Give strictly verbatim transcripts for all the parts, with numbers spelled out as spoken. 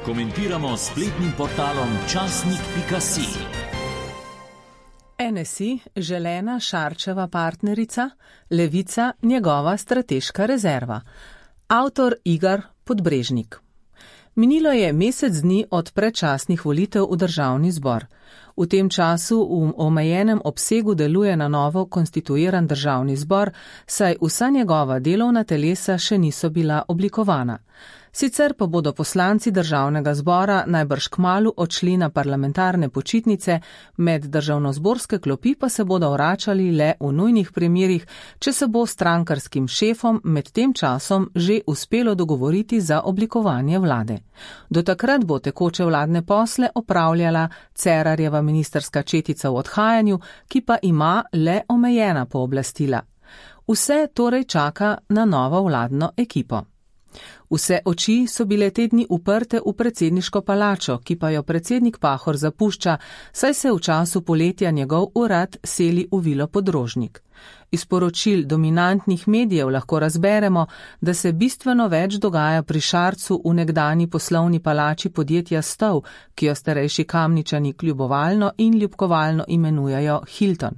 Komentiramo s spletnim portalom časnik pika si. N S I, želena Šarčeva partnerica, Levica, njegova strateška rezerva. Avtor Igor Podbrežnik. Minilo je mesec dni od predčasnih volitev v državni zbor. V tem času v omejenem obsegu deluje na novo konstituiran državni zbor, saj vsa njegova delovna telesa še niso bila oblikovana. Sicer pa bodo poslanci državnega zbora najbrž kmalu odšli na parlamentarne počitnice, med državnozborske klopi pa se bodo vračali le v nujnih primerih, če se bo strankarskim šefom med tem časom že uspelo dogovoriti za oblikovanje vlade. Do takrat bo tekoče vladne posle opravljala Cerarjeva ministrska četica v odhajanju, ki pa ima le omejena pooblastila. Vse torej čaka na novo vladno ekipo. Vse oči so bile te dni uprte v predsedniško palačo, ki pa jo predsednik Pahor zapušča, saj se v času poletja njegov urad seli v Vilo Podrožnik. Iz poročil dominantnih medijev lahko razberemo, da se bistveno več dogaja pri Šarcu v nekdani poslovni palači podjetja Stov, ki jo starejši Kamničani kljubovalno in ljubkovalno imenujejo Hilton.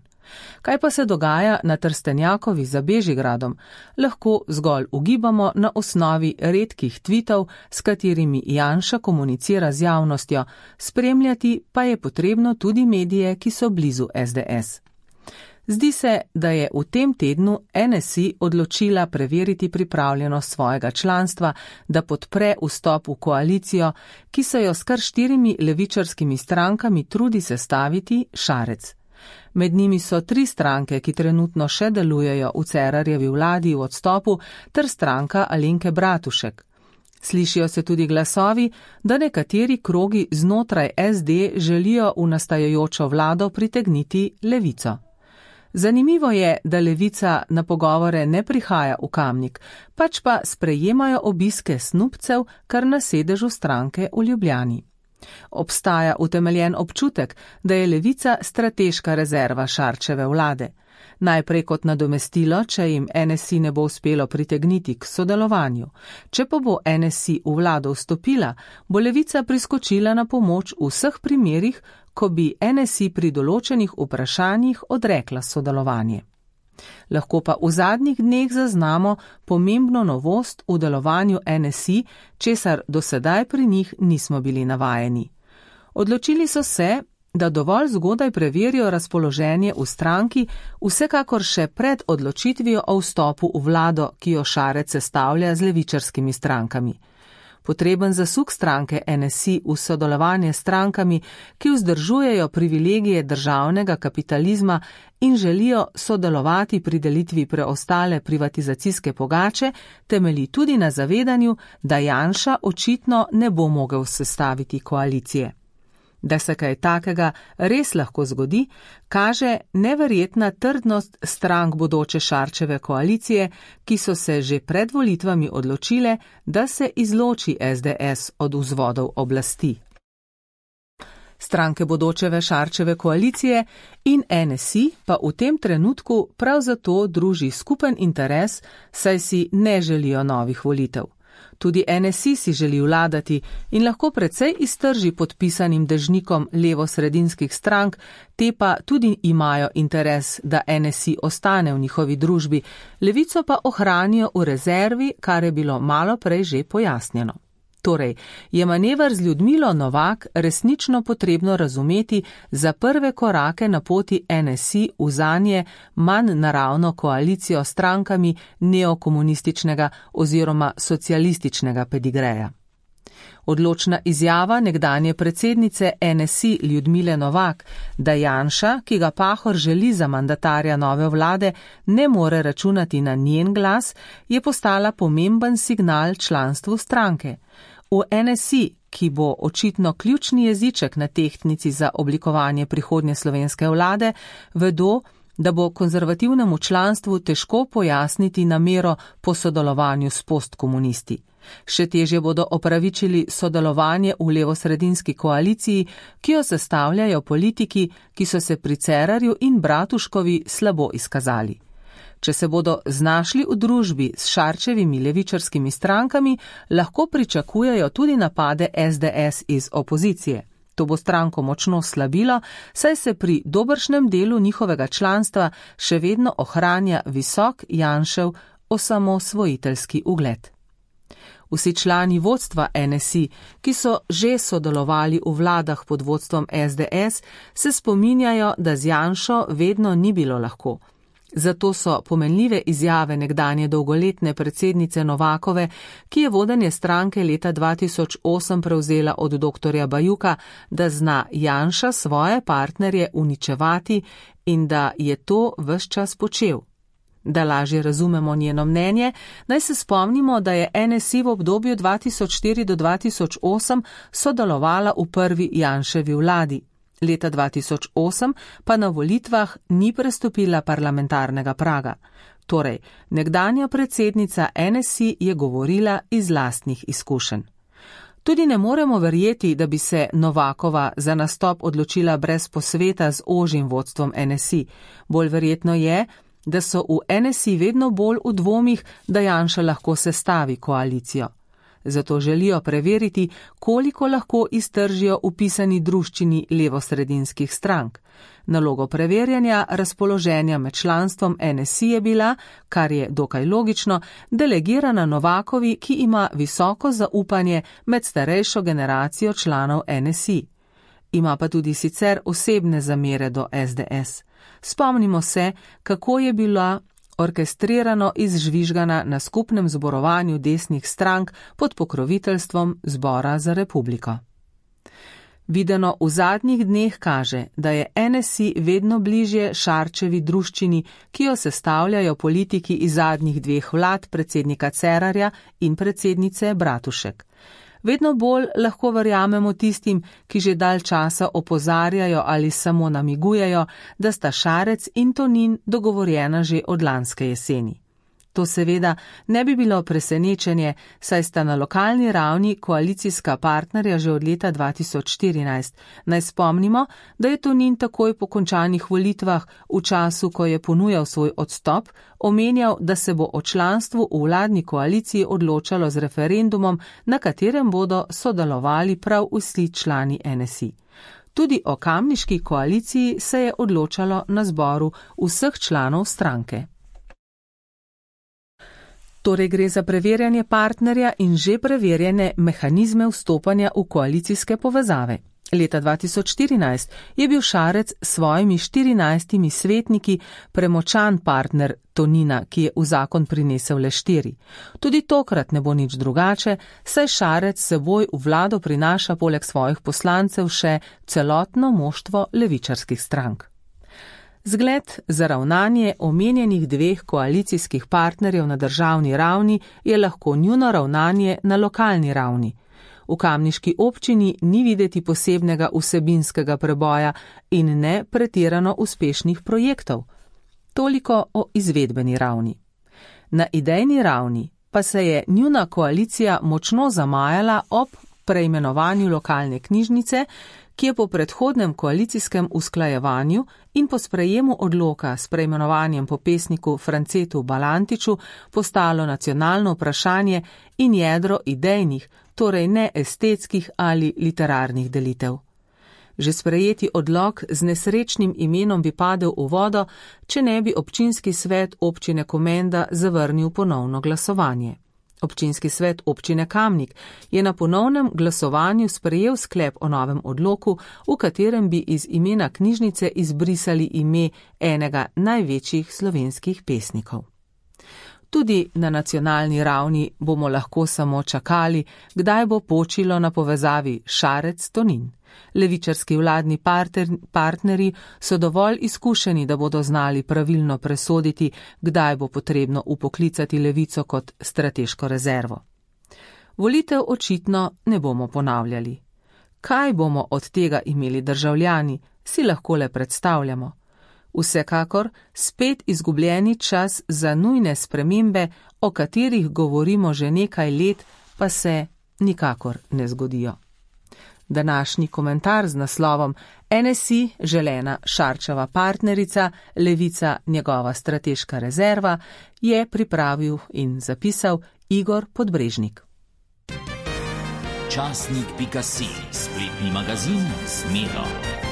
Kaj pa se dogaja na Trstenjakovi za Bežigradom, lahko zgolj ugibamo na osnovi redkih tvitov, s katerimi Janša komunicira z javnostjo, spremljati pa je potrebno tudi medije, ki so blizu S D S. Zdi se, da je v tem tednu N S I odločila preveriti pripravljenost svojega članstva, da podpre vstop v koalicijo, ki se jo s kar štirimi levičarskimi strankami trudi sestaviti Šarec. Med njimi so tri stranke, ki trenutno še delujejo v Cerarjevi vladi v odstopu, ter stranka Alenke Bratušek. Slišijo se tudi glasovi, da nekateri krogi znotraj S D želijo v nastajajočo vlado pritegniti Levico. Zanimivo je, da Levica na pogovore ne prihaja v Kamnik, pač pa sprejemajo obiske snubcev kar na sedežu stranke v Ljubljani. Obstaja utemeljen občutek, da je Levica strateška rezerva Šarčeve vlade. Najprej kot nadomestilo, če jim N S I ne bo uspelo pritegniti k sodelovanju. Če pa bo N S I v vlado vstopila, bo Levica priskočila na pomoč v vseh primerih, ko bi N S I pri določenih vprašanjih odrekla sodelovanje. Lahko pa v zadnjih dneh zaznamo pomembno novost v delovanju N S I, česar do sedaj pri njih nismo bili navajeni. Odločili so se, da dovolj zgodaj preverijo razpoloženje v stranki, vsekakor še pred odločitvijo o vstopu v vlado, ki jo Šarec sestavlja z levičarskimi strankami. Potreben zasuk stranke N S I v sodelovanje s strankami, ki vzdržujejo privilegije državnega kapitalizma in želijo sodelovati pri delitvi preostale privatizacijske pogače, temelji tudi na zavedanju, da Janša očitno ne bo mogel sestaviti koalicije. Da se kaj takega res lahko zgodi, kaže neverjetna trdnost strank bodoče Šarčeve koalicije, ki so se že pred volitvami odločile, da se izloči S D S od vzvodov oblasti. Stranke bodočeve Šarčeve koalicije in N S I pa v tem trenutku prav zato druži skupen interes, saj si ne želijo novih volitev. Tudi N S I si želi vladati in lahko precej iztrži podpisanim dežnikom levo-sredinskih strank, te pa tudi imajo interes, da N S I ostane v njihovi družbi, Levico pa ohranijo v rezervi, kar je bilo malo prej že pojasnjeno. Torej, je manever z Ljudmilo Novak resnično potrebno razumeti za prve korake na poti N S I v zanje manj naravno koalicijo s strankami neokomunističnega oziroma socialističnega pedigreja. Odločna izjava nekdanje predsednice N S I Ljudmile Novak, da Janša, ki ga Pahor želi za mandatarja nove vlade, ne more računati na njen glas, je postala pomemben signal članstvu stranke. V N S I, ki bo očitno ključni jeziček na tehtnici za oblikovanje prihodnje slovenske vlade, vedo, da bo konzervativnemu članstvu težko pojasniti namero po sodelovanju s postkomunisti. Še težje bodo opravičili sodelovanje v levosredinski koaliciji, ki jo sestavljajo politiki, ki so se pri Cerarju in Bratuškovi slabo izkazali. Če se bodo znašli v družbi s Šarčevimi levičarskimi strankami, lahko pričakujejo tudi napade es de es iz opozicije. To bo stranko močno slabilo, saj se pri dobršnem delu njihovega članstva še vedno ohranja visok Janšev osamosvojiteljski ugled. Vsi člani vodstva en es i, ki so že sodelovali v vladah pod vodstvom es de es, se spominjajo, da z Janšo vedno ni bilo lahko. Zato so pomenljive izjave nekdanje dolgoletne predsednice Novakove, ki je vodenje stranke leta dva tisoč osem prevzela od doktorja Bajuka, da zna Janša svoje partnerje uničevati in da je to ves čas počel. Da lažje razumemo njeno mnenje, naj se spomnimo, da je en es i v obdobju dva tisoč štiri do dva tisoč osem sodelovala v prvi Janševi vladi. Leta dva tisoč osem pa na volitvah ni prestopila parlamentarnega praga. Torej, nekdanja predsednica en es i je govorila iz lastnih izkušenj. Tudi ne moremo verjeti, da bi se Novakova za nastop odločila brez posveta z ožjim vodstvom en es i. Bolj verjetno je, da so v en es i vedno bolj v dvomih, da Janša lahko sestavi koalicijo. Zato želijo preveriti, koliko lahko iztržijo vpisani druščini levosredinskih strank. Nalogo preverjanja razpoloženja med članstvom en es i je bila, kar je dokaj logično, delegirana Novakovi, ki ima visoko zaupanje med starejšo generacijo članov en es i. Ima pa tudi sicer osebne zamere do es de es. Spomnimo se, kako je bila orkestrirano izžvižgana na skupnem zborovanju desnih strank pod pokroviteljstvom Zbora za republiko. Videno v zadnjih dneh kaže, da je en es i vedno bližje Šarčevi druščini, ki jo sestavljajo politiki iz zadnjih dveh vlad, predsednika Cerarja in predsednice Bratušek. Vedno bolj lahko verjamemo tistim, ki že dalj časa opozarjajo ali samo namigujejo, da sta Šarec in Tonin dogovorjena že od lanske jeseni. To seveda ne bi bilo presenečenje, saj sta na lokalni ravni koalicijska partnerja že od leta dva tisoč štirinajst. Naj spomnimo, da je Tonin takoj po končanih volitvah, v času, ko je ponujal svoj odstop, omenjal, da se bo o članstvu v vladni koaliciji odločalo z referendumom, na katerem bodo sodelovali prav vsi člani en es i. Tudi o kamniški koaliciji se je odločalo na zboru vseh članov stranke. Torej gre za preverjanje partnerja in že preverjene mehanizme vstopanja v koalicijske povezave. Leta dva tisoč štirinajst je bil Šarec s svojimi štirinajstimi svetniki premočan partner Tonina, ki je v zakon prinesel le štiri. Tudi tokrat ne bo nič drugače, saj Šarec seboj v vlado prinaša poleg svojih poslancev še celotno moštvo levičarskih strank. Zgled za ravnanje omenjenih dveh koalicijskih partnerjev na državni ravni je lahko njuno ravnanje na lokalni ravni. V kamniški občini ni videti posebnega vsebinskega preboja in ne pretirano uspešnih projektov. Toliko o izvedbeni ravni. Na idejni ravni pa se je njuna koalicija močno zamajala ob preimenovanju lokalne knjižnice, ki je po predhodnem koalicijskem usklajevanju in po sprejemu odloka s preimenovanjem po pesniku Francetu Balantiču postalo nacionalno vprašanje in jedro idejnih, torej ne estetskih ali literarnih delitev. Že sprejeti odlok z nesrečnim imenom bi padel v vodo, če ne bi občinski svet občine Komenda zavrnil ponovno glasovanje. Občinski svet občine Kamnik je na ponovnem glasovanju sprejel sklep o novem odloku, v katerem bi iz imena knjižnice izbrisali ime enega največjih slovenskih pesnikov. Tudi na nacionalni ravni bomo lahko samo čakali, kdaj bo počilo na povezavi Šarec-Tonin. Levičarski vladni partner, partnerji so dovolj izkušeni, da bodo znali pravilno presoditi, kdaj bo potrebno upoklicati levico kot strateško rezervo. Volitev očitno ne bomo ponavljali. Kaj bomo od tega imeli državljani, si lahko le predstavljamo. Vsekakor spet izgubljeni čas za nujne spremembe, o katerih govorimo že nekaj let, pa se nikakor ne zgodijo. Današnji komentar z naslovom N S I želena Šarčeva partnerica, Levica njegova strateška rezerva je pripravil in zapisal Igor Podbrežnik. Časnik pika si, spletni magazin Zmedo.